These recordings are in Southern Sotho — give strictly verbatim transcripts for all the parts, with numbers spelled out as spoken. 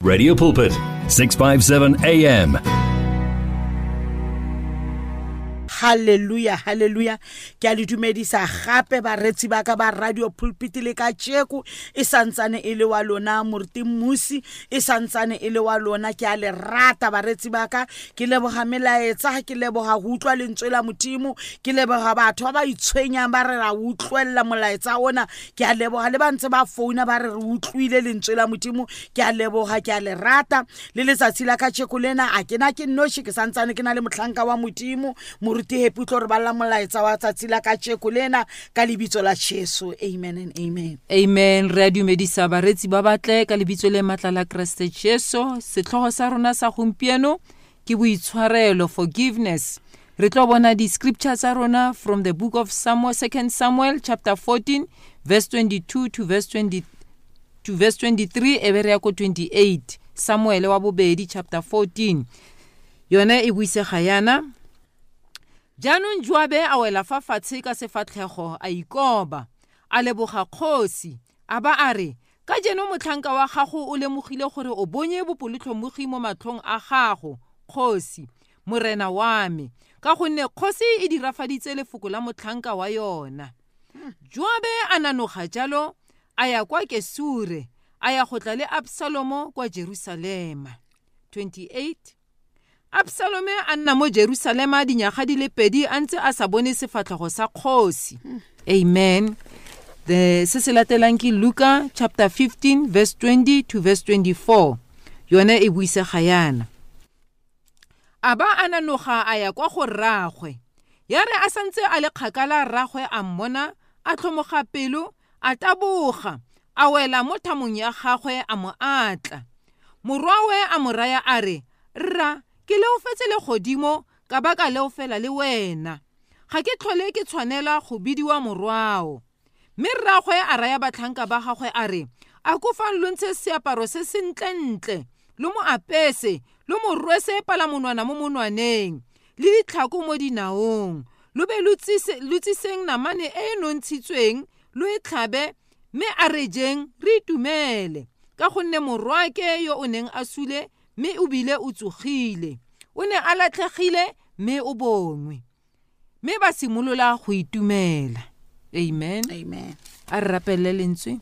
Radio Pulpit, six five seven A M. Hallelujah, hallelujah. Ke a le dumedisa gape baretsi ba ka ba Radio Pulpit le ka tjeko e santsane e le wa lona Moruti Mmusi, e santsane e le wa lona. Ke a le rata baretsi ba ka, ke leboga melaetsa, ke leboga go utlwa lentswe la Modimo, ke leboga batho ba ba itshwenyang ba re ra utlwella molaetsa ona. Ke a leboga le ba ntse ba founa ba re re utlwile lentswe la Modimo. Ke a leboga, ke a le rata. Le letsatsi la ka tjeko lena a ke na ke nnoshi, ke santsane ke na le mohlanka wa Modimo Moruti Happy tlo re balla molaetsa wa tsatsi la ka tjeko lena ka lebitso la Jesu. Amen and amen. Amen. Re a dumedisa baretsi ba batle ka lebitso le matla la Kreste Jesu. Setlhogo sa rona sa gompieno ke boitshwarelo, forgiveness. Re tlo bona di-scripture tsa rona from the book of Samuel, Second Samuel chapter fourteen verse twenty-two to verse twenty to verse twenty-three, e be re ya ko twenty-eight. Samuel wa bobedi chapter fourteen. Yone e buisega yana. Jaanong Joabe a wela fa fatshe ka sefatlhego a ikoba, a leboga kgosi, a ba a re, ka jeno motlhanka wa gago o lemogile gore o bonye bopelotlhomogi mo matlhong a gago, kgosi, morena wa me, ka gonne kgosi e dirafaditse lefoko la motlhanka wa yona. Joabe a nanoga jalo, a ya kwa Kesure, a ya go tla le Absalomo kwa Jerusalema. twenty-eight. Absalome a nna mo Jerusalema dinyaga di le pedi a ntse a sa bone sefatlhego sa kgosi. Amen. The se se latelang ke Luka chapter fifteen verse twenty to verse twenty-four. Yone e buisega yana. A ba a nanoga a ya kwa go rraagwe. Ya re a santse a le kgakala rraagwe a mmona, a tlhomoga pelo, a taboga, a wela mo thamong ya gagwe a mo atla. Morwawe a mo raya a re, rra, ke leofetse legodimo ka baka leofela le wena. Ga ke tlhole ke tshwanela go bidiwa morwao. Mme rraagwe a raya batlhanka ba gagwe a re, a kofang lo ntshe seaparo se sentlentle, lo mo apese, lo mo rwese palamonwana mo monwaneng, le ditlhako mo dinaong, lo be lo tsise, lo tsiseng namane e e nontshitsweng, lo e tlhabe, mme a re jeng re itumele, ka gonne morwaake yo o neng a sule mme o bile o tsogile, o ne a latlhegile mme o bongwe. Mme ba simolola go itumela. Amen. Amen. A re rapelele lentswe.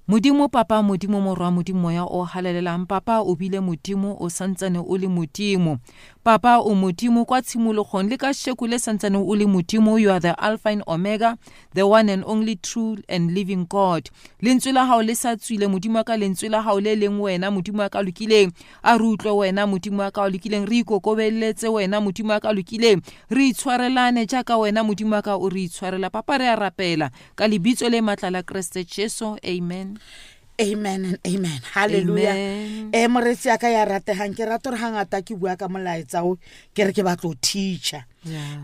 Modimo Papa, Modimo Morwa, Modimo Moya o halalelang. Papa o bile Modimo, o santsane o le Modimo. Papa o Modimo kwa tshimologong le ka sheko le santsane o le Modimo. You are the Alpha and Omega, the one and only true and living God. Lentswe la hao le sa tswile, Modimo ka lentswe la hao le leng wena, Modimo ka lokileng. A re utlwe wena, Modimo ka lokileng, re ikokobeletse wena, Modimo ka lokileng. Re itshwarelane jaaka wena, Modimo ka o re itshwarela. Papa re a rapela ka lebitso le matla la Kreste Jesu. Amen. Amen and amen. Hallelujah. Eh moretsi ya ka ya ratehang, ke rata hore hangata ke bua ka molaetsa o ke re ke batlo teacher.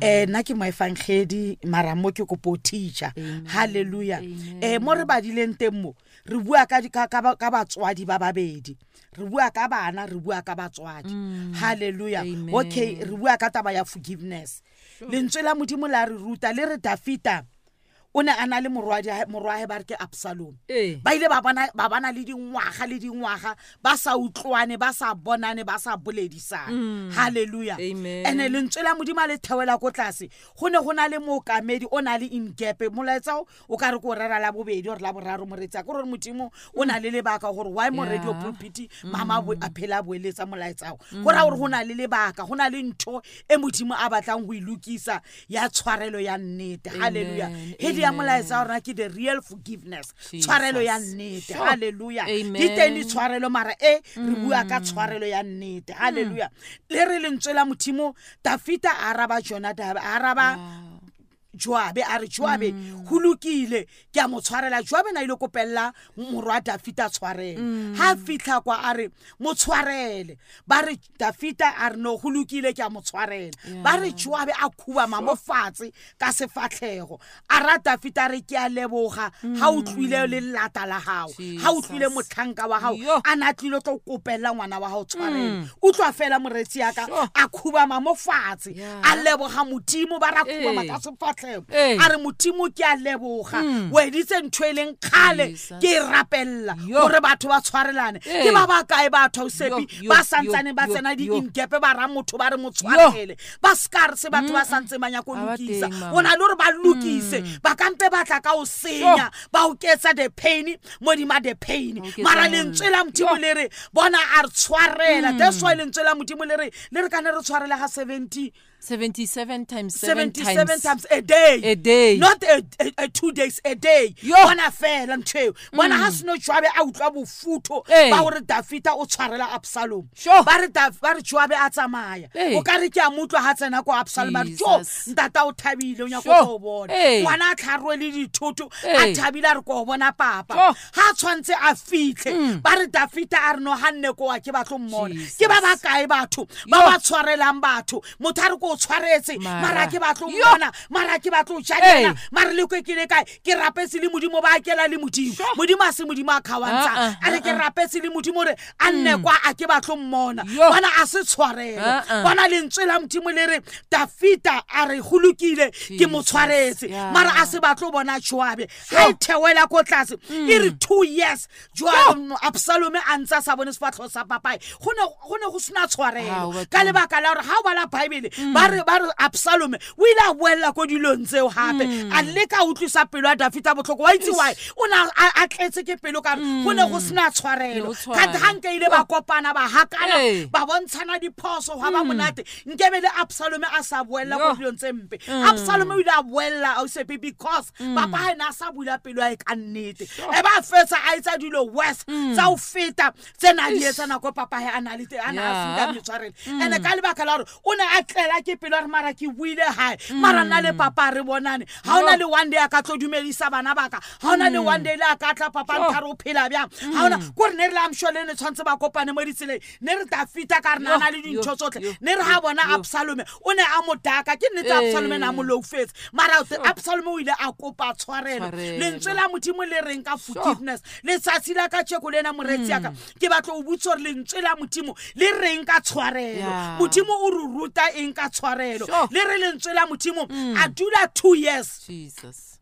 Eh nna ke moefangedi mara mo ke kopo teacher. Hallelujah. Eh mo re badileng teng mo re bua ka ka ka batswadi ba babedi. Re bua ka bana, re bua ka batswadi. Hallelujah. Okay, re bua ka taba ya forgiveness. Lentswe la Modimo la re ruta le re Dafita o ne a na le morwadi morwae ba re ke Absalom. Ba ile ba bona ba bana le dingwaga le dingwaga ba sa utlwane, ba sa bonane, ba sa boledisane. Hallelujah. Ene lentswe la Modimo le thewela ko tlase. Go ne go na le mookamedi o na le ingepe molaetsa o ka re ko rera la bobedi or la boraro moretsa go re Modimo o na le lebaka gore why mo Radio Pulpit mama a phela boeletsa molaetsa go ra gore go na le lebaka, go na le ntho e Modimo a batlang go ilukisa ya tshwarelo ya nnete. Hallelujah. Ya molaetsa rona ke the real forgiveness, tshwarelo ya nnete. Hallelujah. Di teng ditshwarelo mara e re bua ka tshwarelo ya nnete. Hallelujah. Le re lentswe la Modimo, Dafita a araba Jonadab, a araba Joabe, a re Joabe ho lokile ke a mo tshwarela. Joabe na ile kopella morwa Dafita tshwarelo. Ha fihla kwa a re mo tshwarele, ba re Dafita a re no ho lokile ke a mo tshwarela. Ba re Joabe a khubama mo fatshe ka sefatlhego, a ra Dafita re ke a leboga ha o tlwile le lata la hao, ha o tlwile motlhanka wa hao a na tlile tlo kopella ngwana wa hao tshwarelo. Utlwa fela moretsi ya ka a khubama mo fatshe a leboga Modimo, ba ra khubama ka sefatlhego. sefatlhego a re Modimo ke a leboga o editse ntho e leng kgale ke e rapella gore batho ba tshwarelane ke ba ba kae batho ausepi ba santsane ba tsena di-ingepe ba ra motho ba re mo tshwarele ba ska re se batho ba santse ba nyaka go lokisa o na le gore ba lokise ba kampe ba tla ka o senya ba oketsa the pain modima the pain mara lentswe la Modimo le re bona a re tshwarela. That's why lentswe la Modimo le re le re kana re tshwarela ga seventy seventy-seven times seven seventy-seven times a day a day not a, a, a two days a day bona fela ntho eo bona ha seno Joabe a utlwa bofutho ba hore Dafita o tshwarela Absalom ba re ba re Joabe a tsamaya o ka re ke a mutlwa ha tsena ko Absalom a re jo ntata o thabile o nyaka go bona ngwana a tlharwe le dithoto a thabile a re ko bona papa ha tshwantse a fitlhe ba re Dafita a re no hanne ko wa ke batlo mmona ke ba ba kae batho ba ba tshwarelang batho motho a re ko tshwaretse mara ke batlo mmona mara ke batlo tjadela mara le ke le kae ke rapetse le Modimo ba akela le Modimo Modimo a se Modimo a khawantsha a re ke rapetse le Modimo re a nne kwa a ke batlo mmona bona a se tshwarele bona lentswe la Modimo le re Dafita a re go lokile ke mo tshwaretse mara a se batlo bona Joabe ha e thewela ko tlase e re two years Joabe Absalom a ntsa sa bone sefatlho sa papae go ne go ne go sena tshwarelo ka lebaka la hore ha o bala Bible ba re ba re Absalom o ile a boella ko dilong tseo hape a leka utlwisa pelo ya Dafita botlhoko wa itse why o na a tletse ke pelo ka go ne go sena tshwarelo ka hanke ile ba kopana ba hakana ba bontshana diphoso hwa ba monate nkebe le Absalom a sa boella ko dilong tse mpe Absalom o ile a boella ausepe because papa ha ena sa bula pelo ya ka nnete e ba fetsa a etsa dilo worse tsa o feta tsena di etsa nako papa ha ana le ana a sita tshwarelo ene ka lebaka la hore o ne a tlela ke pelo re mara ke buile hae mara nna le papa re bonane ha ona le one day a ka tlo dumedisa bana baka ha ona le one day le a ka tla papa nthare o phela bjang ha ona ko re ne re la mshole ne tshwantse ba kopane mo ditseleng ne re Dafita ka re nana le dintho tsotlhe ne re ha bona Absalom o ne a mo daka ke nnete Absalom na mo loufetse mara Absalom o ile a kopa tshwarelo lentswe la Modimo le reng ka forgiveness letsatsi la ka tsheko lena moretsi ya ka ke batla o botsa hore lentswe la Modimo le reng ka tshwarelo Modimo o re ruta eng ka tshwarelo le re lentswe la Modimo a dula two years Jesus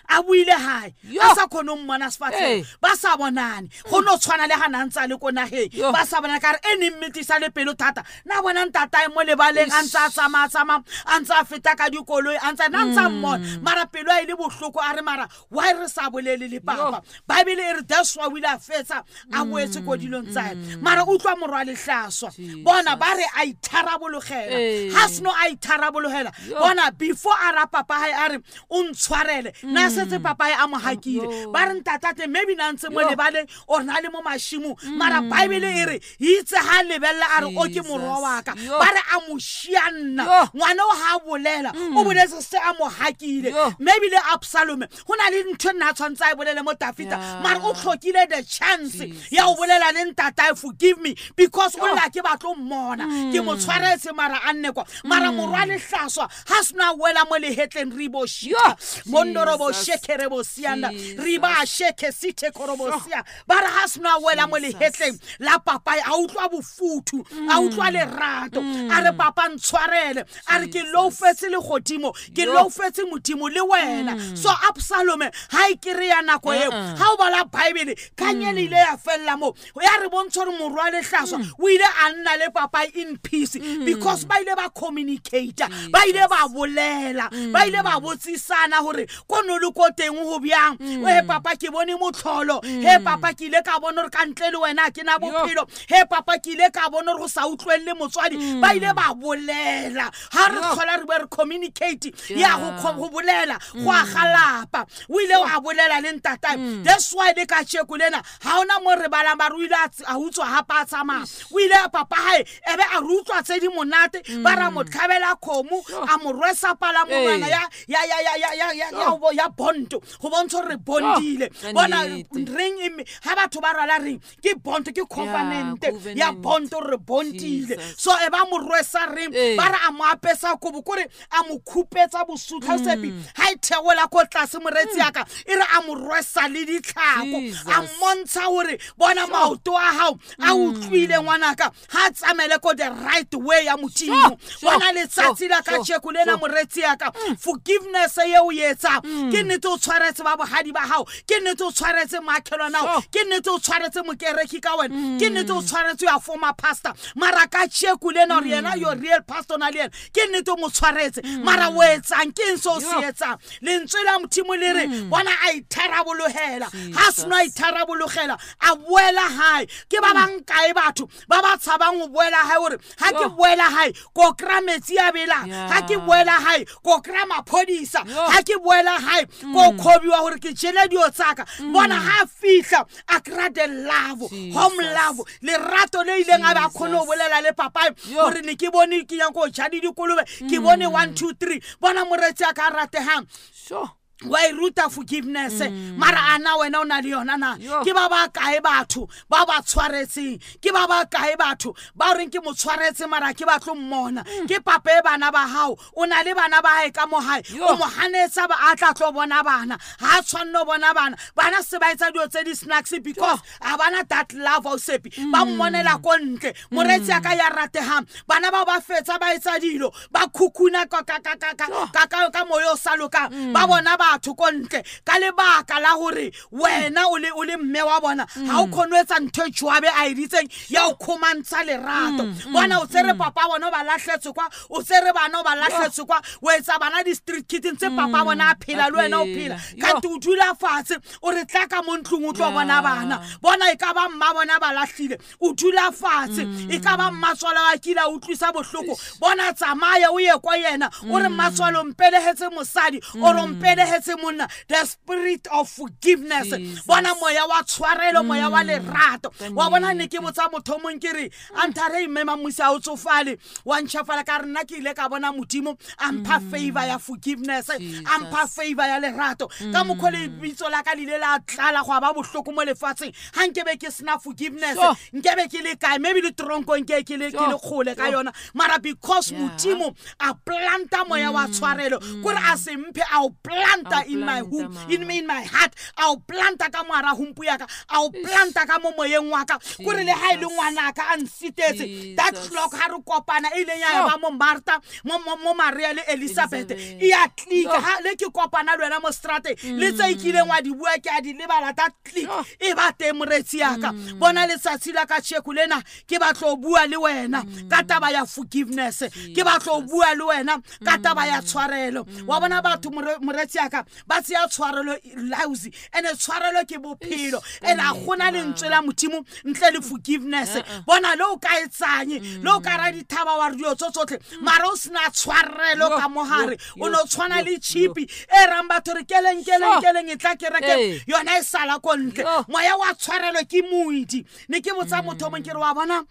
a buile hae a sa khone ho mmona sefatlhego ba sa bonane go no tshwana le ha na ntse le ko nageng ba sa bona ka re e neng metisa le pelo thata na bona ntatae mo lebaleng a ntse a tsamaya tsamaya a ntse a feta ka dikoloi a ntse na ntse mmona mara pelo a ile bohloko a re mara why re sa bolele le papa Bible e re that's why o ile a fetsa a boetse ko dilong tsa hae mara utlwa morwa lehlaswa bona ba re a itharabologela ha seno a itharabologela bona before a ra papa hae a re o ntshwarele na setse papa a mo hakile ba re ntatate maybe na ntse mo lebaleng or na le mo mashimo mara Bible e re itse ha lebella a re o ke morwa wa ka ba re a mo shianna ngwana o ha bolela o boletse se a mo hakile maybe le Absalom ho na le ntho nna tshwantse a bolele mo Dafita mara o tlhokile the chance ya o bolela le ntatae forgive me because o la ke batlo mmona ke mo tshwaretse mara a nne kwa mara morwa lehlaswa ha sena wela mo lehetleng ribo shika mondorobo shekerebo sianda riba sheke site korobosia bara ha sena wela mo lehetleng la papa a utlwa bofuthu a utlwa lerato a re papa ntshwarele a re ke loufetse le godimo ke loufetse Modimo le wena so Absalom ha e kere ya nako eo ha o bala Bible kanyele ile ya fella mo ya re bontsha hore morwa lehlaswa o ile a nna le papa in peace because ba ile ba communicate ba ile ba bolela ba ile ba botsisana hore kono le ko teng ho byang he papa ke bone motlholo he papa ke ile ka bona hore ka ntle le wena ke na bophelo he papa ke ile ka bona hore go sa utlwelle motswadi ba ile ba bolela ha re tlhola re be re communicate ya go go bolela go a galapa o ile wa bolela le ntatae that's why le ka tsheko lena ha ona mo re balang ba re o ile a utswa ha pa tsamaya o ile papa hae ebe a re utlwa tse di monate ba ra mo tlhabela khomo a mo rwesa pala monwana ya ya ya ya ya ya ya ya bond go bontsha re bondile bona ring e ha batho ba rwala ring ke bond ke covenant ya bond re bondile so e ba mo rwesa ring ba re a mo apesa kobo kore a mo khupetsa bosutlha sepi ha e theola ko tlase moretsi ya ka e re a mo rwesa le ditlhako a montsha hore bona maoto a hao a utlwile ngwanaka ha tsamele ko the right way ya Modimo bona letsatsi la ka tsheko lena moretsi ya ka forgiveness ye o etsa ke nnete o tshwaretse ba bohadi ba hao ke nnete o tshwaretse makhelwana hao ke nnete o tshwaretse mokereki ka wena ke nnete o tshwaretse ya former pastor mara ka tsheko lena re yena your real pastor na le yena ke nnete o mo tshwaretse mara o etsang ke eng se o se etsang lentswe la Modimo le re bona a itharabologela ha seno a itharabologela a boela hae ke ba bang kae batho ba ba tshabang ho boela hae hore ha ke boela hae ko kra metsi a bela ha ke boela hae ko kra maphodisa ha ke boela hae ko khobiwa hore ke jele dio tsaka bona ha fihla a kra the love home love lerato le ileng a ba khone ho bolela le papa hore ne ke bone ke yang ko ja di dikolobe ke bone one two three bona moretsi a ka ratehang sure wa e ruta forgiveness mara ana wena o na le yona na ke ba ba kae batho ba ba tshwaretseng ke ba ba kae batho ba reng ke mo tshwaretse mara ke ba tlo mmona ke papa e bana ba hao o na le bana ba hae ka mo hae o mo hanetsa ba a tla tlo bona bana ha tshwanno bona bana bana se ba etsa dio tse di snacks because a bana that love o sepi ba mmonela ko ntle moretsi a ka ya ratehang bana ba ba fetsa ba etsa dilo ba khukhuna ka ka ka ka ka ka moyo sa loka ba bona batho ko ntle ka lebaka la hore wena o le o le mme wa bona ha o khone etsa ntho e jwabe a editseng ya o khomantsha lerato bona o tsere papa bona ba lahletse kwa o tsere bana ba lahletse kwa o etsa bana di street kids tse papa bona a phela le wena o phela kanti o dula fatshe o re tla ka mo ntlong o tlo bona bana bona e ka ba mma bona ba lahlile o dula fatshe e ka ba mmatswala wa kila o utlwisa bohloko bona tsamaya o ye kwa yena o re mmatswalo mpelehetse mosadi o re mpelehetse monna the spirit of forgiveness bona moya wa tshwarelo moya wa lerato wa bona ne ke botsa motho mong ke re anthare mme mamusa o tsofale wa ntshafala ka rena ke ile ka bona Modimo a mpha favor ya forgiveness a mpha favor ya lerato ka mokho le bitso la ka lile la tlala go ba bohloko mo lefatsheng ha nkebe ke sna forgiveness nkebe ke le kae maybe le tronko nke ke le ke le kgole ka yona mara because Modimo a planta moya wa tshwarelo kore a se mphe a o planta in my home in me in my heart a o planta ka moara humpu ya ka a o planta ka mo moyeng wa ka kore le ha ile ngwana ka a nsitetse that clock ha re kopana e ile ya ba mo Martha mo mo Maria le Elizabeth e ya click ha le ke kopana le wena mo strate le tse ikileng wa di bua ke a di lebala that click e ba teng moretsi ya ka bona letsatsi la ka tsheko lena ke batlo bua le wena ka taba ya forgiveness ke batlo bua le wena ka taba ya tshwarelo wa bona batho moretsi ya ka ba tseya tshwarelo lousy ene tshwarelo ke bophelo ene a gona lentswe la Modimo ntle le forgiveness bona le o ka etsanye le o ka ra dithaba wa re dio tsotlhe mara o sna tshwarelo ka mohare o no tshwana le chipi e rang batho re keleng keleng keleng e tla kereke yona e sala ko ntle moya wa tshwarelo ke moedi ne ke botsa motho mong ke re wa bona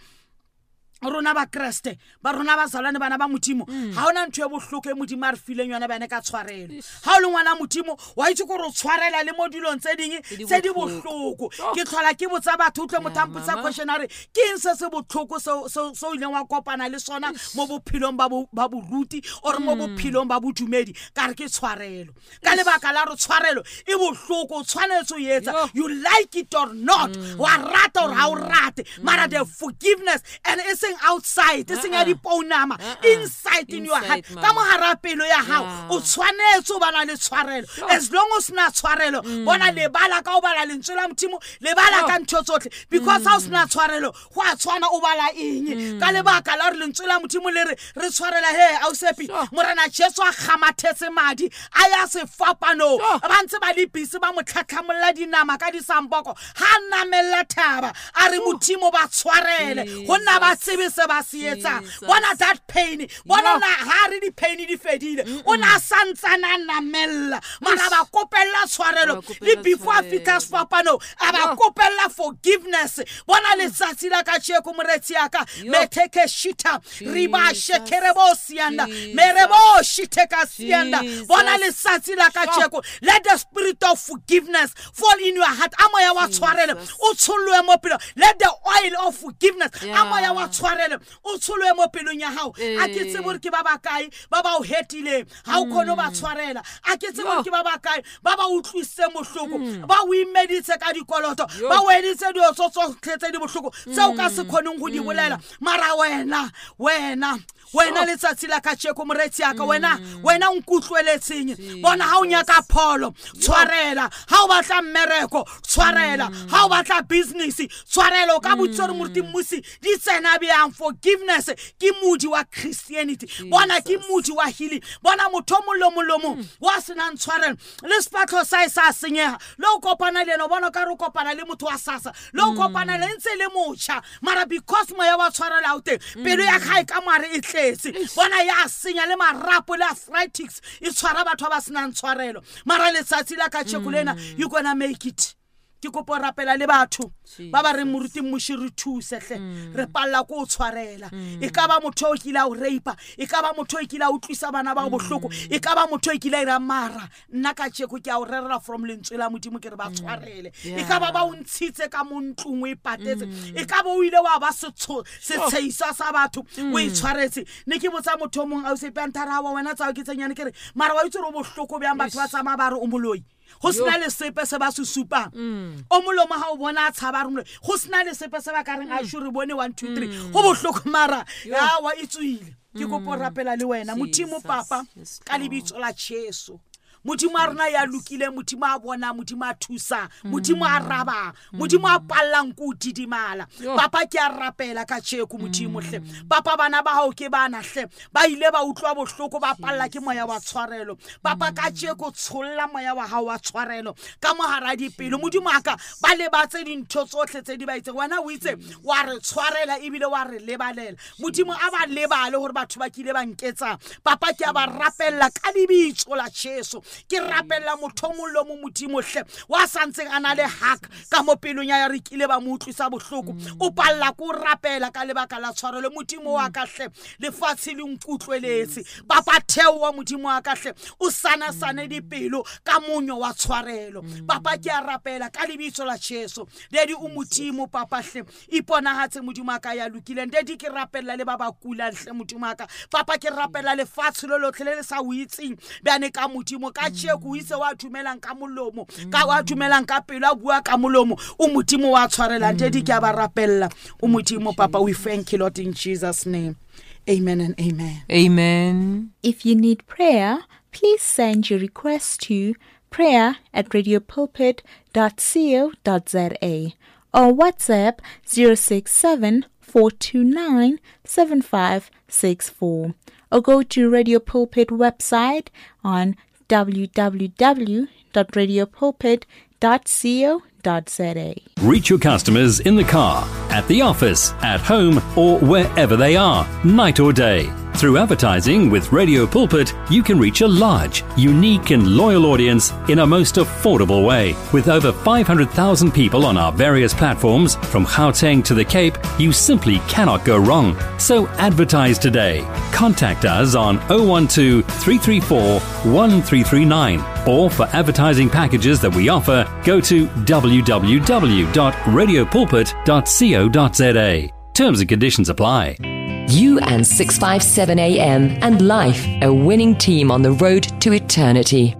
rona ba Kreste ba rona ba zalwane bana ba Modimo ha ona ntho e bohloko e Modimo a re fileng yona bana ka tshwarelo ha o le ngwana Modimo wa itse gore o tshwarela le mo dilong tse ding tse di bohloko ke tlhola ke botsa batho utlwe motho a mpotsa question a re ke eng se se bohloko so so ileng wa kopana le sona mo bophelong ba ba boruti or mo bophelong ba bodumedi ka re ke tshwarelo ka lebaka la re tshwarelo e bohloko o tshwanetse o etsa you like it or not wa rata or ha o rate mara the forgiveness and it's outside e seng ya dipounama inside in your heart ka mohara pelo ya hao o tshwanetse o bana le tshwarelo as long as na tshwarelo bona lebala ka o bala lentswe la Modimo lebala ka ntho tsotlhe because ha o sna tshwarelo go a tshwana o bala eng ka lebaka la re lentswe la Modimo le re re tshwarela he a o sepi morena Jesu a kgamathetse madi a ya sefapano ba ntse ba le busy ba mo tlhatlhamolla dinama ka disampoko ha namella thaba a re Modimo ba tshwarele go nna ba tsebe se ba se etsang. Bona that pain, bona na ha re di pain di fedile, o na santsana namella mara ba kopella tshwarelo le before fitha sefapano a ba kopella forgiveness. Bona letsatsi la ka tsheko moretsi ya ka metheke shita riba shekerebo sianda merebo shiteka sianda. Bona letsatsi la ka tsheko, let the spirit of forgiveness fall in your heart. A moya wa tshwarelo o tsholwe mo pelo, let the oil of forgiveness a moya wa tshwarelo o tsholwe mo pelong ya hao. A ke tsebe hore ke ba ba kae ba ba o hetileng ha o khone ba tshwarela. A ke tsebe hore ke ba ba kae ba ba utlwisitse mohloko, ba o imeditse ka dikoloto, ba o editse dilo tsotlhe tse di bohloko tseo ka se khoneng go di bolela. Mara wena wena wena letsatsi la ka tsheko moretsi ya ka, wena wena o nkutlweletseng. Bona ha o nyaka pholo tshwarela, ha o batla mmereko tshwarela, ha o batla business tshwarela. O ka botsa hore moruti Mmusi di tsena bjang. Forgiveness ke modi wa Christianity, bona ke modi wa healing. Bona motho o mong le mong wa senang tshwarelo le sefatlho sa e sa senyega, le o kopana le ena o bona ka re o kopana le motho wa sasa, le o kopana le ntse le motjha, mara because moya wa tshwarelo ha o teng pelo ya gae ka mare e tletse. Bona ya senya le marapo le arthritis e tshwara batho ba senang tshwarelo. Mara letsatsi la ka tsheko lena you gonna make it. Ke kopo rapela le batho ba ba reng moruti Mmusi re thuse hle, re palla ko o tshwarela. E ka ba motho o kile a o rape, e ka ba motho o kile a utlwisa bana ba bohloko, e ka ba motho o kile a ira mara nna ka tsheko ke a o rerela from lentswe la Modimo ke re ba tshwarele. E ka ba ba o ntshitse ka mo ntlong o e patetse, e ka ba o ile wa ba setsheisa sa batho o e tshwaretse. Ne ke botsa motho o mong a o sepantara wa wena tsao ke tsenyane ke re mara wa itse re o bohloko bjang batho ba tsamaya ba re o moloi, go sena le sepe se ba se supang. O molomo ha o bona a tshaba re moloi, go sena le sepe se ba ka reng a sure re bone one two three, go bohloko mara awa e tswile. Ke kopo rapela le wena Modimo Papa ka lebitso la Jesu. Modimo a rona ya lokile, Modimo a bona, Modimo a thusa, Modimo a raba, Modimo a pallang ko didimala. Papa ke a rapela ka tsheko Modimo hle. Papa bana ba hao ke bana hle, ba ile ba utlwa bohloko ba palla ke moya wa tshwarelo. Papa ka tsheko tsholla moya wa hao wa tshwarelo ka mohara dipelo. Modimo a ka ba lebatse dintho tsohle tse di ba itseng. Wena o itse wa re tshwarela ebile wa re lebalela. Modimo a ba lebale hore batho ba kile ba nketsa. Papa ke a ba rapella ka lebitso la Jesu. Ke rapella motho o mong le mong Modimo hle wa santseng a na le hak ka mo pelong ya re kile ba mo utlwisa bohloko, o palla ko rapela ka lebaka la tshwarelo. Modimo wa ka hle lefatshe le nkutlweletse. Papa theo wa Modimo wa ka hle o sana sane dipelo ka monyo wa tshwarelo. Papa ke a rapela ka lebitso la Jesu. Daddy o Modimo Papa hle iponahatse Modimo wa ka ya lokileng. Daddy ke rapella le ba ba kulang hle Modimo wa ka. Papa ke rapella lefatshe lo lotlhe le le sa o itseng bjane ka Modimo ka tsheko o itse wa dumelang ka molomo ka wa dumelang ka pelo a bua ka molomo o Modimo wa tshwarelang. Daddy ke a ba rapella o Modimo Papa. We thank you Lord in Jesus name. Amen and amen. Amen. If you need prayer, please send your request to prayer at radio pulpit dot co dot za or WhatsApp zero six seven four two nine seven five six four or go to Radio Pulpit website on w w w dot radio pulpit dot co dot za. Reach your customers in the car, at the office, at home, or wherever they are, night or day. Through advertising with Radio Pulpit, you can reach a large, unique and loyal audience in a most affordable way. With over five hundred thousand people on our various platforms, from Gauteng to the Cape, you simply cannot go wrong. So advertise today. Contact us on oh one two, three three four, one three three nine, or for advertising packages that we offer, go to w w w dot radio pulpit dot co dot za. Terms and conditions apply. You and six five seven A M and life, a winning team on the road to eternity.